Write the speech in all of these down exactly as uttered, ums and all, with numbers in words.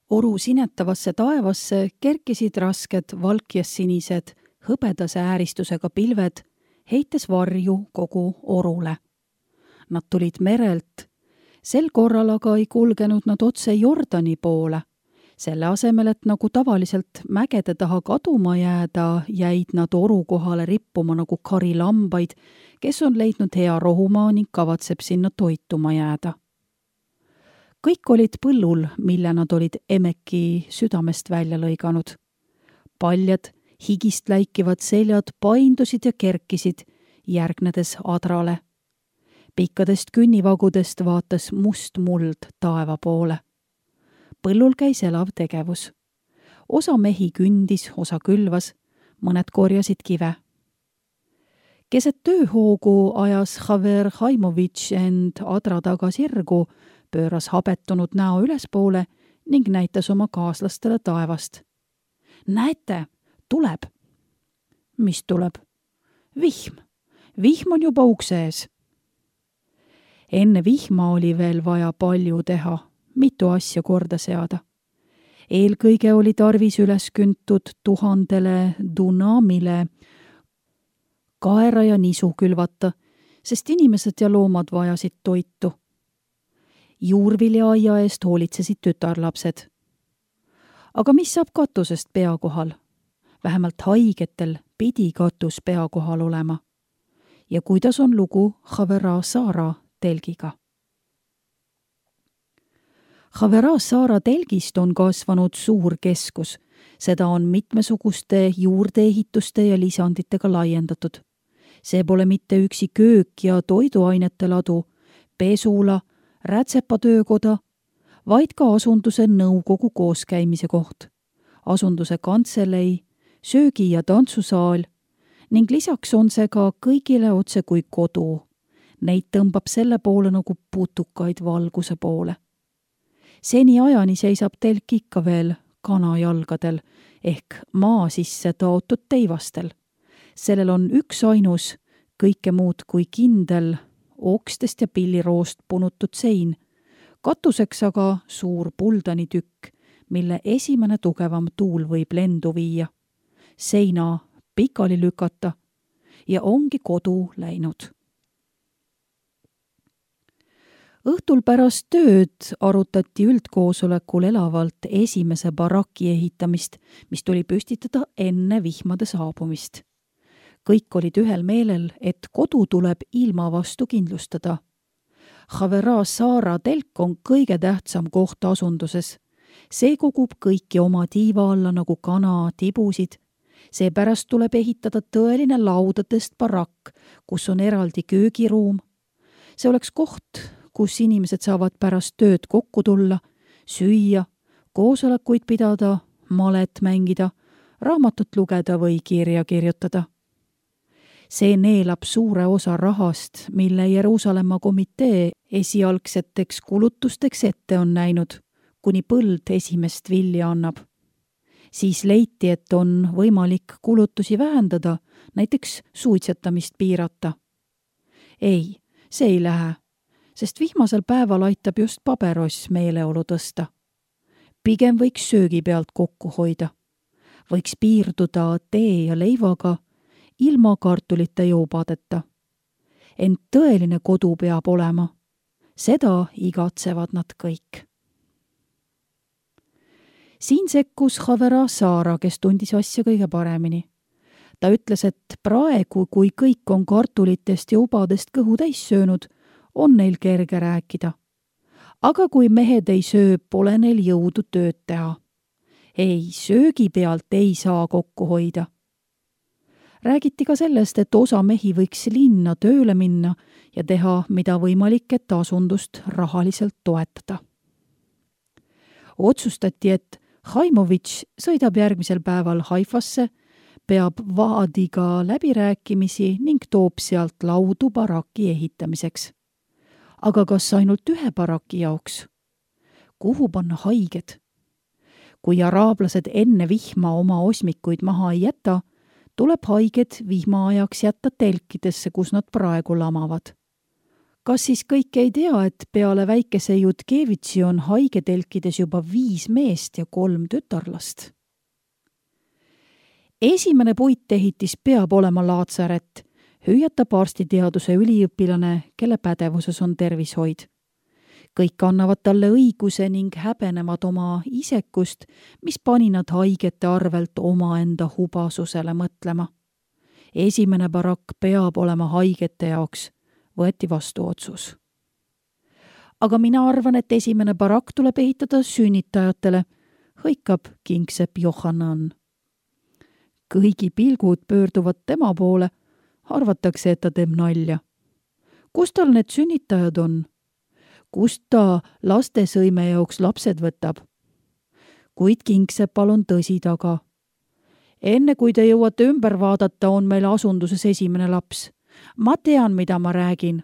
Oru sinetavasse taevasse kerkisid rasked valkjas-sinised hõbedase ääristusega pilved, heites varju kogu orule. Nad tulid merelt. Sel korral aga ei kulgenud nad otse Jordani poole. Selle asemel, et nagu tavaliselt mägede taha kaduma jääda, jäid nad oru kohale rippuma nagu karilambaid, kes on leidnud hea rohumaa ning kavatseb sinna toituma jääda. Kõik olid põllul, mille nad olid Emeki südamest välja lõiganud. Paljad higist läikivad seljad paindusid ja kerkisid, järgnedes adrale. Pikkadest künnivagudest vaatas must muld taeva poole. Põllul käis elav tegevus. Osa mehi kündis, osa külvas, mõned korjasid kive. Keset tööhoogu ajas Haver Haimovitš end adra taga sirgu, pööras habetunud näo ülespoole ning näitas oma kaaslastele taevast. Näete, tuleb. Mis tuleb? Vihm. Vihm on juba ukse ees. Enne vihma oli veel vaja palju teha, mitu asja korda seada. Eelkõige oli tarvis üles küntud tuhandele dunamile kaera ja nisu külvata, sest inimesed ja loomad vajasid toitu. Juurvilja aia eest hoolitsesid tütarlapsed. Aga mis saab katusest pea kohal? Vähemalt haigetel pidi katus pea kohal olema. Ja kuidas on lugu Havera Saara telgiga? Havera Saara telgist on kasvanud suur keskus. Seda on mitmesuguste juurdeehituste ja lisanditega laiendatud. See pole mitte üksi köök ja toiduainete ladu, pesula, rätsepatöökoda, vaid ka asunduse nõukogu kooskäimise koht, asunduse kantselei, söögi- ja tantsusaal ning lisaks on see ka kõigile otse kui kodu. Neid tõmbab selle poole nagu putukaid valguse poole. Seni ajani seisab telk ikka veel kanajalgadel ehk maa sisse taotud teivastel. Sellel on üks ainus, kõike muud kui kindel, okstest ja pilliroost punutud sein, katuseks aga suur puldanitükk, mille esimene tugevam tuul võib lendu viia, seina pikali lükata ja ongi kodu läinud. Õhtul pärast tööd arutati üldkoosolekul elavalt esimese baraki ehitamist, mis tuli püstitada enne vihmade saabumist. Kõik olid ühel meelel, et kodu tuleb ilma vastu kindlustada. Havera Saara telk on kõige tähtsam koht asunduses. See kogub kõiki oma tiiva alla nagu kana tibusid. Seepärast tuleb ehitada tõeline laudadest barakk, kus on eraldi köögiruum. See oleks koht, kus inimesed saavad pärast tööd kokku tulla, süüa, koosolekuid pidada, malet mängida, raamatut lugeda või kirja kirjutada. See neelab suure osa rahast, mille Jeruusalemma komitee esialgseteks kulutusteks ette on näinud, kuni põld esimest vilja annab. Siis leiti, et on võimalik kulutusi vähendada, näiteks suitsetamist piirata. Ei, see ei lähe, sest vihmasel päeval aitab just pabeross meeleolu tõsta. Pigem võiks söögi pealt kokku hoida. Võiks piirduda tee ja leivaga, ilma kartulite joopadeta. Ent tõeline kodu peab olema. Seda igatsevad nad kõik. Siin sekkus Havera Saara, kes tundis asja kõige paremini. Ta ütles, et praegu, kui kõik on kartulitest ja ubadest kõhu täis söönud, on neil kerge rääkida. Aga kui mehed ei söö, pole neil jõudu tööd teha. Ei, söögi pealt ei saa kokku hoida. Räägiti ka sellest, et osa mehi võiks linna tööle minna ja teha, mida võimalik, et asundust rahaliselt toetada. Otsustati, et Haimovitš sõidab järgmisel päeval Haifasse, peab Vaadiga läbirääkimisi ning toob sealt laudu baraki ehitamiseks. Aga kas ainult ühe baraki jaoks? Kuhu panna haiged? Kui araablased enne vihma oma osmikuid maha ei jäta, tuleb haiged vihmaajaks jätta telkidesse, kus nad praegu lamavad. Kas siis kõik ei tea, et peale väikese Jutkevitsi on haigetelkides juba viis meest ja kolm tütarlast? Esimene puitehitis peab olema laatsaret, hüüatab arstiteaduse üliõpilane, kelle pädevuses on tervishoid. Kõik annavad talle õiguse ning häbenevad oma isekust, mis pani nad haigete arvelt omaenda hubasusele mõtlema. Esimene barakk peab olema haigete jaoks, võeti vastu otsus. Aga mina arvan, et esimene barakk tuleb ehitada sünnitajatele, hõikab kingsepp Johanan. Kõigi pilgud pöörduvad tema poole, arvatakse, et ta teeb nalja. Kus tal need sünnitajad on? Kust ta lastesõime jaoks lapsed võtab? Kuid kingsepal on tõsi taga. Enne kui te jõuate ümber vaadata, on meil asunduses esimene laps. Ma tean, mida ma räägin.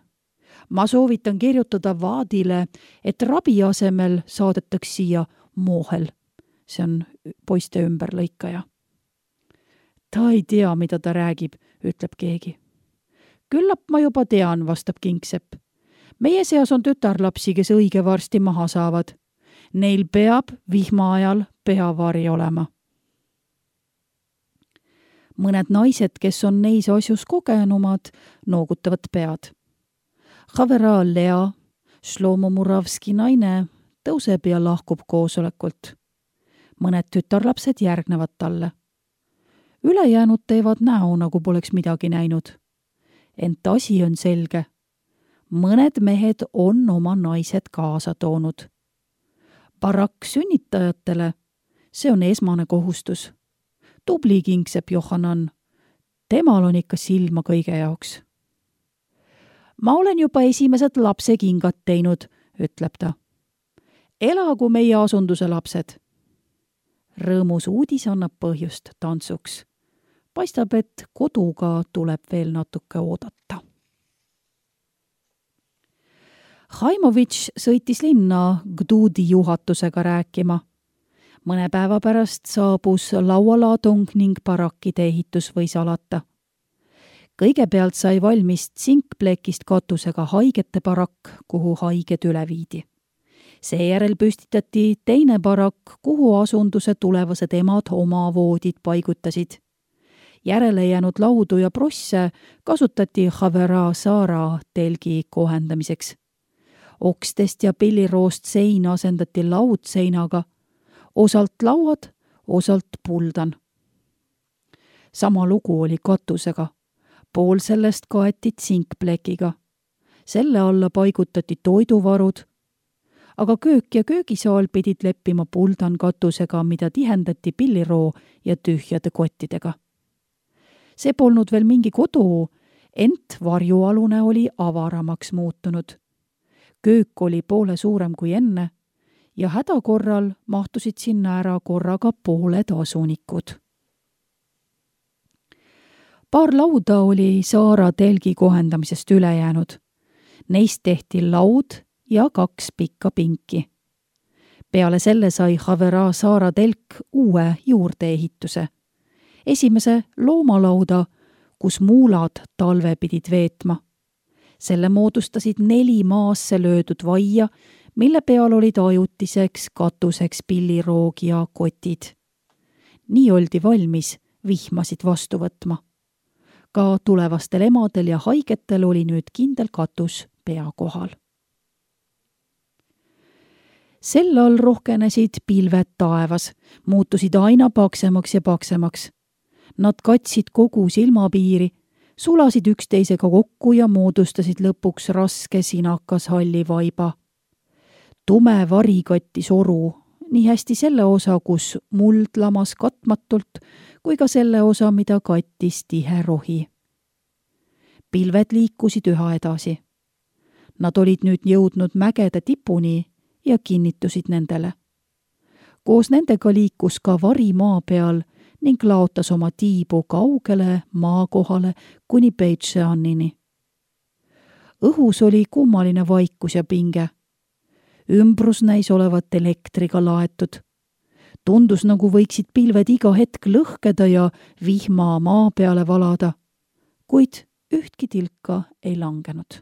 Ma soovitan kirjutada vaadile, et rabi asemel saadetaks siia Mohel. See on poiste ümberlõikaja. Ta ei tea, mida ta räägib, ütleb keegi. Küllap ma juba tean, vastab kingsepp. Meie seas on tütarlapsi, kes õige varsti maha saavad. Neil peab vihma ajal peavari olema. Mõned naised, kes on neis asjus kogenumad, noogutavad pead. Havera Lea, Shlomo Muravski naine, tõuseb ja lahkub koosolekult. Mõned tütarlapsed järgnevad talle. Ülejäänud teevad näo, nagu poleks midagi näinud. Ent asi on selge. Mõned mehed on oma naised kaasa toonud. Barakk sünnitajatele, see on esmane kohustus. Tubli kingsepp Johanan, temal on ikka silma kõige jaoks. Ma olen juba esimesed lapsekingad teinud, ütleb ta. Elagu meie asunduse lapsed. Rõõmus uudis annab põhjust tantsuks. Paistab, et koduga tuleb veel natuke oodata. Haimovitš sõitis linna Gdudi juhatusega rääkima. Mõne päeva pärast saabus laualaadung ning barakkide ehitus võis alata. Kõigepealt sai valmis tsinkplekist katusega haigete barakk, kuhu haiged üle viidi. Seejärel püstitati teine barakk, kuhu asunduse tulevased emad oma voodid paigutasid. Järele jäänud laudu ja prosse kasutati Havera Saara telgi kohendamiseks. Okstest ja pilliroost sein asendati laudseinaga, osalt lauad, osalt puldan. Sama lugu oli katusega. Pool sellest kaeti tsinkplekiga. Selle alla paigutati toiduvarud, aga köök ja köögisaal pidid leppima puldan katusega, mida tihendati pilliroo ja tühjade kottidega. See polnud veel mingi kodu, ent varjualune oli avaramaks muutunud. Köök oli poole suurem kui enne ja hädakorral mahtusid sinna ära korraga pooled asunikud. Paar lauda oli Saara telgi kohendamisest üle jäänud. Neist tehti laud ja kaks pikka pinki. Peale selle sai Havera Saara telk uue juurdeehituse. Esimese loomalauda, kus muulad talve pidid veetma. Selle moodustasid neli maasse löödud vaia, mille peal olid ajutiseks katuseks pilliroog ja kotid. Nii oldi valmis vihmasid vastu võtma. Ka tulevastel emadel ja haigetel oli nüüd kindel katus pea kohal. Sel all rohkenesid pilved taevas, muutusid aina paksemaks ja paksemaks. Nad katsid kogu silmapiiri, sulasid üksteisega kokku ja moodustasid lõpuks raske sinakas halli vaiba. Tume vari kattis oru, nii hästi selle osa, kus muld lamas katmatult, kui ka selle osa, mida kattis tihe rohi. Pilved liikusid üha edasi. Nad olid nüüd jõudnud mägede tipuni ja kinnitusid nendele. Koos nendega liikus ka vari maa peal ning laotas oma tiibu kaugele maakohale kuni Beitšeannini. Õhus oli kummaline vaikus ja pinge. Ümbrus näis olevat elektriga laetud. Tundus, nagu võiksid pilved iga hetk lõhkeda ja vihma maa peale valada, kuid ühtki tilka ei langenud.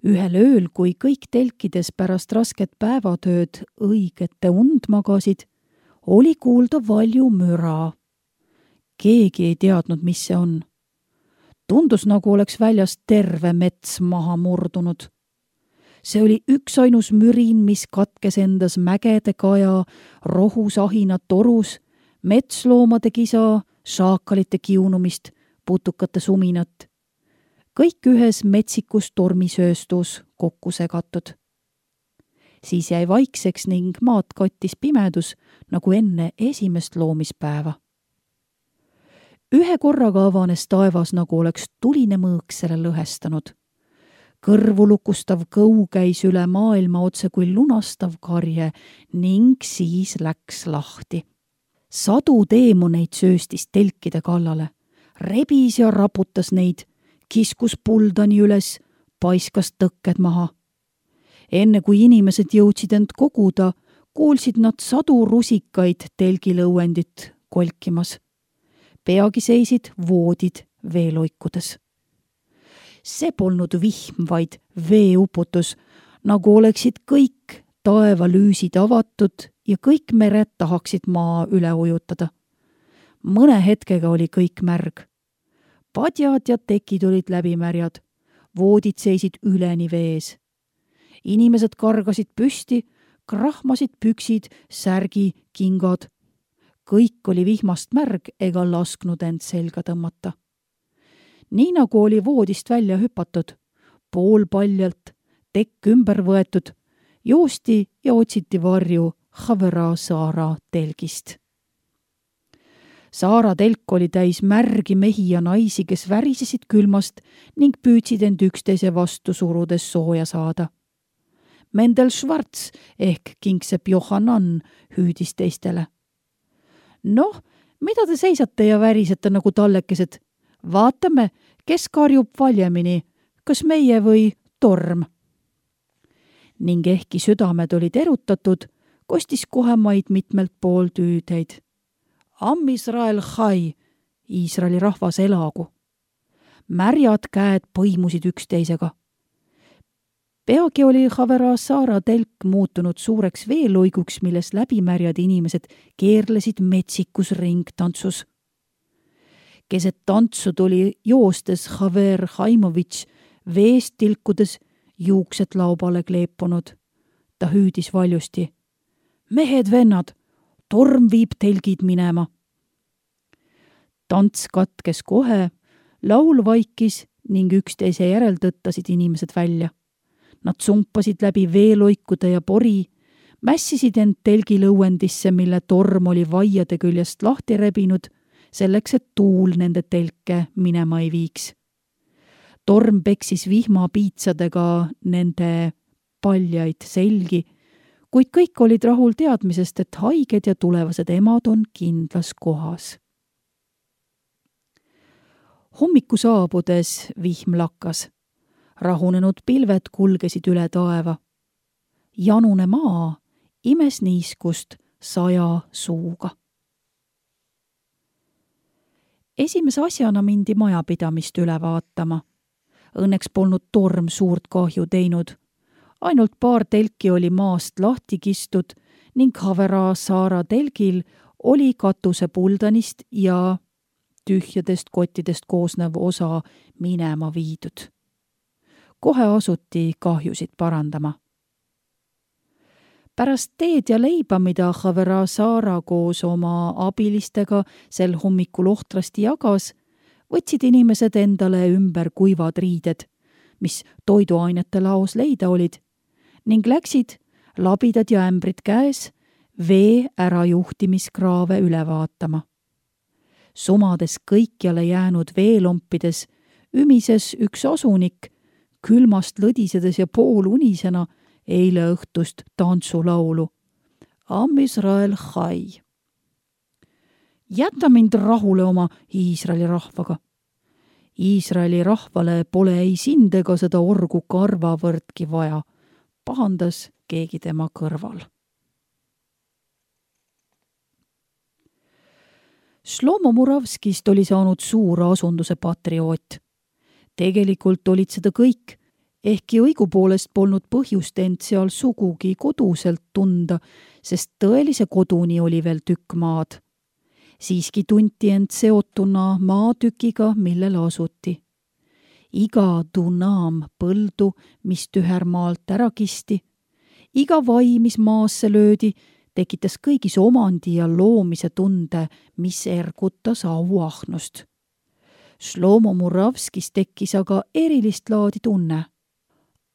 ühel ööl, kui kõik telkides pärast rasket päevatööd õigete und magasid, oli kuulda valju müra. Keegi ei teadnud, mis see on. Tundus, nagu oleks väljas terve mets maha murdunud. See oli üksainus mürin, mis katkes endas mägede kaja, rohusahina torus, metsloomade kisa, šaakalite kiunumist, putukate suminat. Kõik ühes metsikus tormisööstus kokku segatud. Siis jäi vaikseks ning maad kattis pimedus, nagu enne esimest loomispäeva. Ühe korraga avanes taevas, nagu oleks tuline mõõk selle lõhestanud. Kõrvu lukustav kõu käis üle maailma otse kui lunastav karje ning siis läks lahti. Sadu teemoneid sööstis telkide kallale, rebis ja raputas neid, kiskus puldani üles, paiskas tõkked maha. Enne kui inimesed jõudsid end koguda, kuulsid nad sadu rusikaid telgilõuendit kolkimas. Peagi seisid voodid veeloikudes. See polnud vihm, vaid veeuputus, nagu oleksid kõik taevalüüsid avatud ja kõik mered tahaksid maa üle ujutada. Mõne hetkega oli kõik märg. Padjad ja tekid olid läbimärjad, voodid seisid üleni vees. Inimesed kargasid püsti, krahmasid püksid, särgi, kingad. Kõik oli vihmast märg ega lasknud end selga tõmmata. Nii nagu oli voodist välja hüpatud, pool paljalt, tekk ümber võetud, joosti ja otsiti varju Havera Saara telgist. Saara telk oli täis märgi mehi ja naisi, kes värisesid külmast ning püüdsid end üksteise vastu surudes sooja saada. Mendel Schwarz ehk Kingsepp Johannan hüüdis teistele. Noh, mida te seisate ja värisete nagu tallekesed? Vaatame, kes karjub valjemini, kas meie või torm. Ning ehkki südamed olid erutatud, kostis kohe maid mitmelt poolt hüüdeid. Am Israel Chai, Iisraeli rahvas elagu. Märjad käed põimusid üksteisega. Peagi oli Havera Saara telk muutunud suureks veeloiguks, milles läbimärjad inimesed keerlesid metsikus ringtantsus. Keset tantsu tuli joostes Haver Haimovitš, veest tilkudes, juuksed laubale kleepunud. Ta hüüdis valjusti. Mehed, vennad, torm viib telgid minema. Tants katkes kohe, laul vaikis ning üksteise järel tõttasid inimesed välja. Nad sumpasid läbi veeloikude ja pori, mässisid end telgilõuendisse, mille torm oli vaiade küljest lahti rebinud, selleks, et tuul nende telke minema ei viiks. Torm peksis vihmapiitsadega nende paljaid selgi, kuid kõik olid rahul teadmisest, et haiged ja tulevased emad on kindlas kohas. Hommiku saabudes vihm lakkas. Rahunenud pilved kulgesid üle taeva. Janune maa imes niiskust saja suuga. Esimese asjana mindi majapidamist üle vaatama. Õnneks polnud torm suurt kahju teinud. Ainult paar telki oli maast lahti kistud ning Havera Saara telgil oli katuse puldanist ja tühjadest kottidest koosnev osa minema viidud. Kohe asuti kahjusid parandama. Pärast teed ja leiba, mida Havera Saara koos oma abilistega sel hommikul ohtrasti jagas, võtsid inimesed endale ümber kuivad riided, mis toiduainete laos leida olid, ning läksid, labidad ja ämbrid käes, vee ärajuhtimiskraave üle vaatama. Sumades kõikjale jäänud veelompides ümises üks asunik, külmast lõdisedes ja poolunisena eile õhtust tantsulaulu. Am Israel Chai. Jäta mind rahule oma Iisraeli rahvaga. Iisraeli rahvale pole ei sind ega seda orgu karvavõrdki vaja, pahandas keegi tema kõrval. Šlomo Muravskist oli saanud suur asunduse patrioot. Tegelikult olid seda kõik, Ehkki õigupoolest polnud põhjust end seal sugugi koduselt tunda, sest tõelise koduni oli veel tükk maad. Siiski tunti end seotuna maatükiga, millel asuti. Iga dunaam põldu, mis tühermaalt ära kisti, iga vai, mis maasse löödi, tekitas kõigis omandi ja loomise tunde, mis ergutas auahnust. Šlomo Muravskis tekkis aga erilist laadi tunne.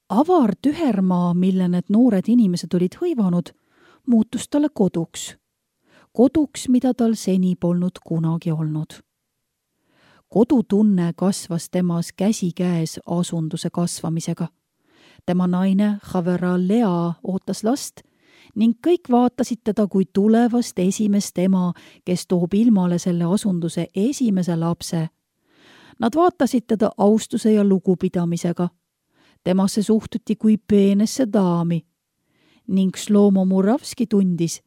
Avar tühermaa, mille need noored inimesed olid hõivanud, muutus talle koduks. Koduks, mida tal seni polnud kunagi olnud. Kodutunne kasvas temas käsikäes asunduse kasvamisega. Tema naine Havera Lea ootas last ning kõik vaatasid teda kui tulevast esimest ema, kes toob ilmale selle asunduse esimese lapse. Nad vaatasid teda austuse ja lugupidamisega. Temasse suhtuti kui peenesse daami ning Šlomo Muravski tundis,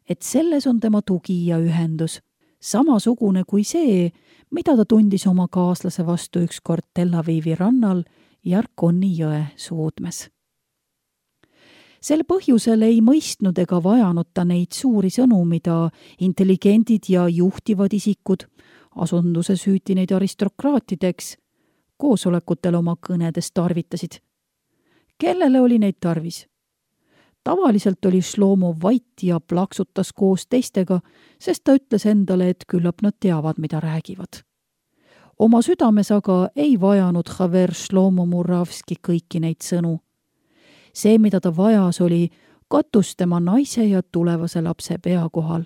et selles on tema tugi ja ühendus, samasugune kui see, mida ta tundis oma kaaslase vastu ükskord Tel Avivi rannal Jarkoni jõe suudmes. Sel põhjusel ei mõistnud ega vajanud ta neid suuri sõnu, mida intelligendid ja juhtivad isikud, asunduses hüüti neid aristokraatideks, koosolekutel oma kõnedes tarvitasid. Kellele oli neid tarvis? Tavaliselt oli Šlomo vait ja plaksutas koos teistega, sest ta ütles endale, et küllap nad teavad, mida räägivad. Oma südames aga ei vajanud Haver Šlomo Muravski kõiki neid sõnu. See, mida ta vajas, oli katus tema naise ja tulevase lapse pea kohal.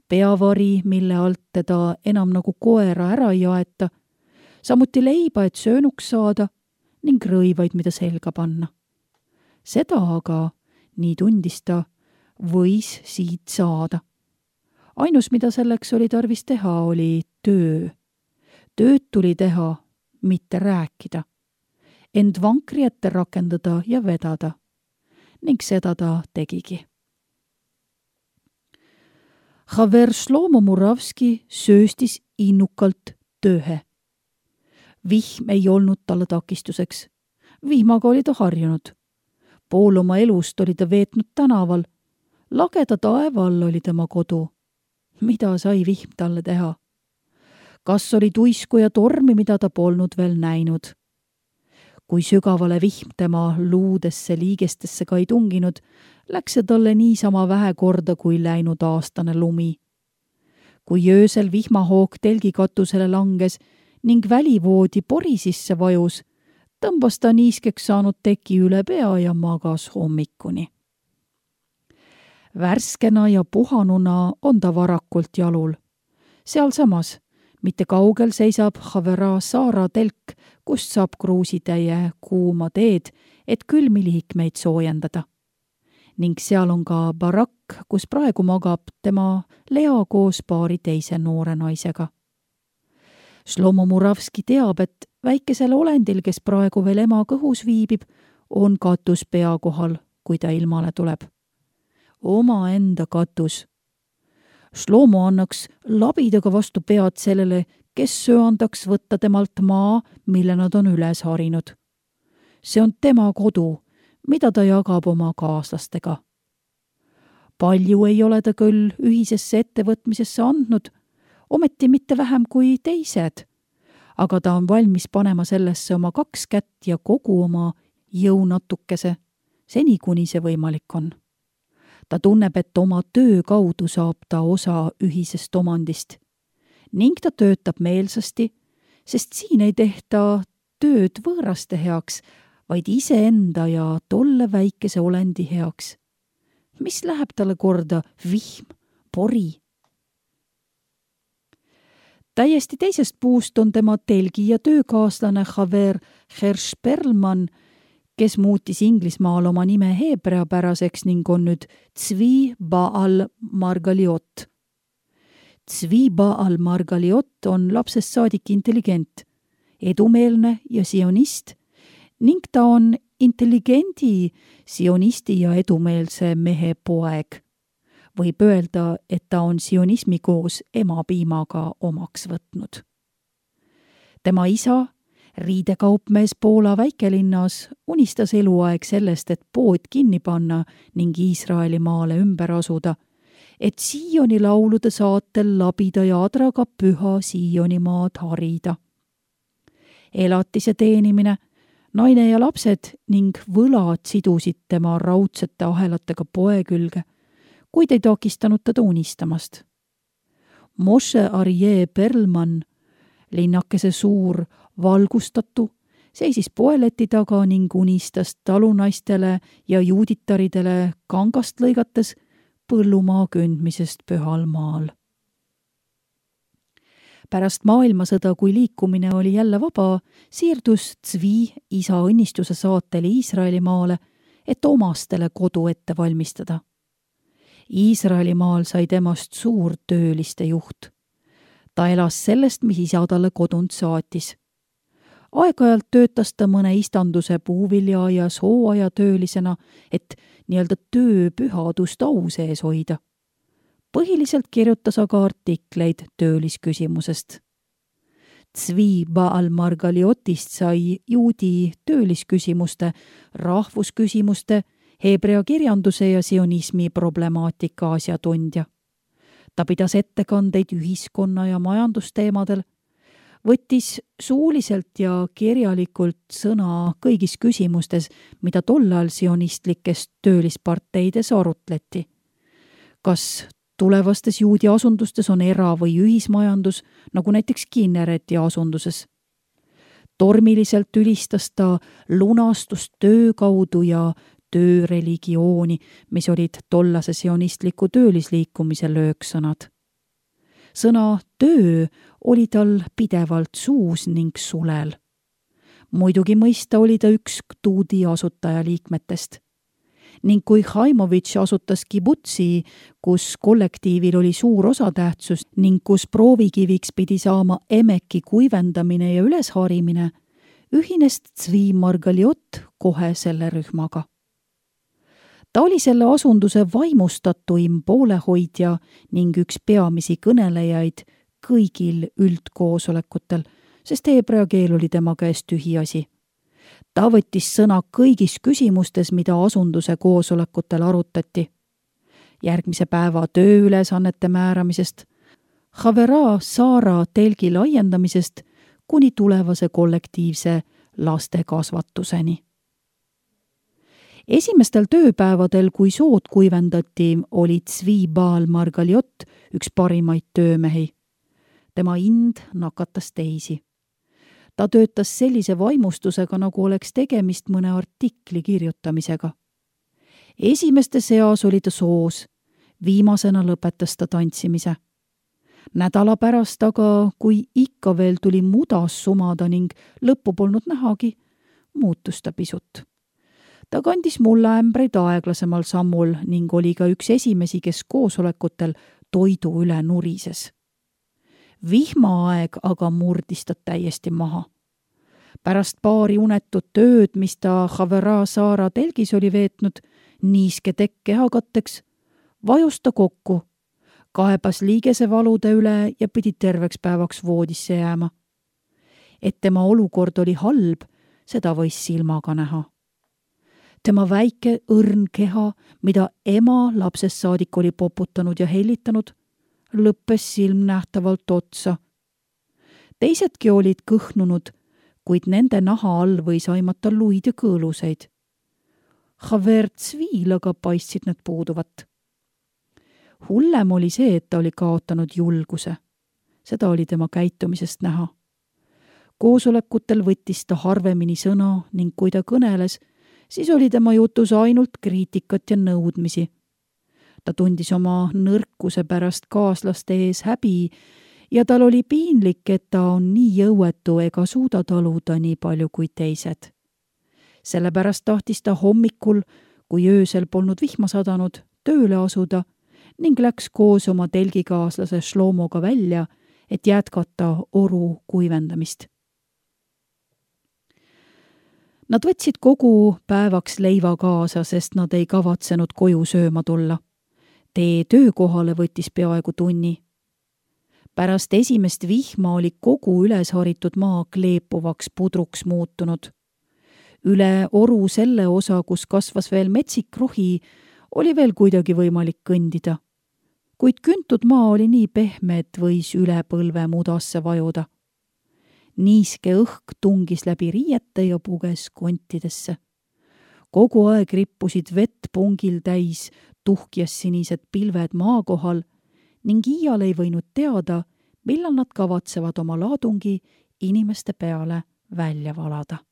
Peavari, mille alt teda enam nagu koera ära ei aeta, samuti leiba, et söönuks saada ning rõivaid, mida selga panna. Seda aga, nii tundis ta, võis siit saada. Ainus, mida selleks oli tarvis teha, oli töö. Tööd tuli teha, mitte rääkida. End vankri ette rakendada ja vedada. Ning seda ta tegigi. Haver Šlomo Muravski sööstis innukalt tööhe. Vihm ei olnud talle takistuseks. Vihmaga oli ta harjunud. Pool oma elust oli ta veetnud tänaval. Lageda taeva all oli tema kodu. Mida sai vihm talle teha? Kas oli tuisku ja tormi, mida ta polnud veel näinud? Kui sügavale vihm tema luudesse liigestesse ka ei tunginud, läks see talle niisama vähe korda kui läinud aastane lumi. Kui öösel vihmahoog telgikatusele langes ning välivoodi pori sisse vajus, tõmbas ta niiskeks saanud teki üle pea ja magas hommikuni. Värskena ja puhanuna on ta varakult jalul. Sealsamas, mitte kaugel seisab Havera Saara telk, kust saab kruusitäie kuuma teed, et külmi liikmeid soojendada. Ning seal on ka barakk, kus praegu magab tema Lea koos paari teise noore naisega. Šlomo Muravski teab, et väikesel olendil, kes praegu veel ema kõhus viibib, on katus pea kohal, kui ta ilmale tuleb. Oma enda katus. Šlomo annaks labidaga vastu pead sellele, kes söandaks võtta temalt maa, mille nad on üles harinud. See on tema kodu, mida ta jagab oma kaaslastega. Palju ei ole ta küll ühisesse ettevõtmisesse andnud, ometi mitte vähem kui teised, aga ta on valmis panema sellesse oma kaks kätt ja kogu oma jõunatukese, seni kuni see võimalik on. Ta tunneb, et oma töö kaudu saab ta osa ühisest omandist ning ta töötab meelsasti, sest siin ei tehta tööd võõraste heaks, vaid iseenda ja tolle väikese olendi heaks. Mis läheb talle korda vihm, pori? Täiesti teisest puust on tema telgi ja töökaaslane Haver Hershperlman, kes muutis Inglismaal oma nime heebreapäraseks ning on nüüd Tzvi Baal Margaliot. Tzvi Baal Margaliot on lapsest saadik intelligent, edumeelne ja sionist ning ta on intelligendi, sionisti ja edumeelse mehe poeg. Võib öelda, et ta on sionismi koos emapiimaga omaks võtnud. Tema isa, riidekaupmees Poola väikelinnas unistas eluaeg sellest, et pood kinni panna ning Iisraeli maale ümber asuda, et Sioni laulude saatel labida ja adraga püha Sionimaad harida. Elatise teenimine, naine ja lapsed ning võlad sidusid tema raudsete ahelatega poe külge, kuid ei takistanud teda unistamast. Moshe Arje Perlman, linnakese suur valgustatu, seisis poeleti taga ning unistas talunaistele ja juuditaridele kangast lõigates põllumaa kündmisest pühal maal. Pärast maailmasõda, kui liikumine oli jälle vaba, siirdus Zvi isa õnnistuse saatel Iisraeli maale, et omastele kodu ette valmistada. Iisraeli maal sai temast suur tööliste juht. Ta elas sellest, mis isa talle kodunt saatis. Aeg-ajalt töötas ta mõne istanduse puuviljaaias hooajatöölisena, et nii-öelda tööpühadust au sees hoida. Põhiliselt kirjutas aga artikleid töölisküsimusest. Zvi Baal Margaliotist sai juudi töölisküsimuste, rahvusküsimuste, heebrea kirjanduse ja sionismi problemaatika asjatundja. Ta pidas ettekandeid ühiskonna ja majandusteemadel, võttis suuliselt ja kirjalikult sõna kõigis küsimustes, mida tollal sionistlikes töölisparteides arutleti. Kas tulevastes juudi asundustes on era- või ühismajandus, nagu näiteks Kinnereti asunduses? Tormiliselt ülistas ta lunastust töö kaudu ja tööreligiooni, mis olid tollase sionistliku töölisliikumise lööksõnad. Sõna töö oli tal pidevalt suus ning sulel. Muidugi mõista oli ta üks tuudi asutajaliikmetest. Ning kui Haimovitš asutas kibutsi, kus kollektiivil oli suur osatähtsus ning kus proovikiviks pidi saama emeki kuivendamine ja ülesharimine, ühines Zvi Margaliot kohe selle rühmaga. Ta oli selle asunduse vaimustatuim poolehoidja ning üks peamisi kõnelejaid kõigil üldkoosolekutel, sest heebrea keel oli tema käest tühiasi. Ta võttis sõna kõigis küsimustes, mida asunduse koosolekutel arutati. Järgmise päeva tööülesannete määramisest, Havera Saara telgi laiendamisest kuni tulevase kollektiivse lastekasvatuseni. Esimestel tööpäevadel, kui sood kuivendati, oli Zvi Baal Margaliot üks parimaid töömehi. Tema ind nakatas teisi. Ta töötas sellise vaimustusega, nagu oleks tegemist mõne artikli kirjutamisega. Esimeste seas oli ta soos, viimasena lõpetas ta tantsimise. Nädala pärast aga, kui ikka veel tuli mudas sumada ning lõppu polnud nähagi, muutus ta pisut. Ta kandis mulleämbreid aeglasemal sammul ning oli ka üks esimesi, kes koosolekutel toidu üle nurises. Vihmaaeg aga murdis ta täiesti maha. Pärast paari unetut tööd, mis ta Havera Saara telgis oli veetnud, niiske tekk kehakatteks, vajus ta kokku, kaebas liigesevalude üle ja pidi terveks päevaks voodisse jääma. Et tema olukord oli halb, seda võis silmaga näha. Tema väike õrn keha, mida ema lapsest saadik oli poputanud ja hellitanud, lõppes silmnähtavalt otsa. Teisedki olid kõhnunud, kuid nende naha all võis aimata luid ja kõõluseid. Haver Zvil aga paistsid need puuduvat. Hullem oli see, et ta oli kaotanud julguse. Seda oli tema käitumisest näha. Koosolekutel võttis ta harvemini sõna ning kui ta kõneles, siis oli tema jutus ainult kriitikat ja nõudmisi. Ta tundis oma nõrkuse pärast kaaslaste ees häbi ja tal oli piinlik, et ta on nii jõuetu ega suuda taluda nii palju kui teised. Sellepärast tahtis ta hommikul, kui öösel polnud vihma sadanud, tööle asuda ning läks koos oma telgikaaslase Shlomoga välja, et jätkata oru kuivendamist. Nad võtsid kogu päevaks leiva kaasa, sest nad ei kavatsenud koju sööma tulla. Tee töökohale võttis peaaegu tunni. pärast esimest vihma oli kogu üles haritud maa kleepuvaks pudruks muutunud. Üle oru selle osa, kus kasvas veel metsik rohi, oli veel kuidagi võimalik kõndida. Kuid küntud maa oli nii pehme, et võis üle põlve mudasse vajuda. Niiske õhk tungis läbi riiete ja puges kontidesse. Kogu aeg rippusid vett pungil täis tuhkjas sinised pilved maa kohal ning iial ei võinud teada, millal nad kavatsevad oma laadungi inimeste peale välja valada.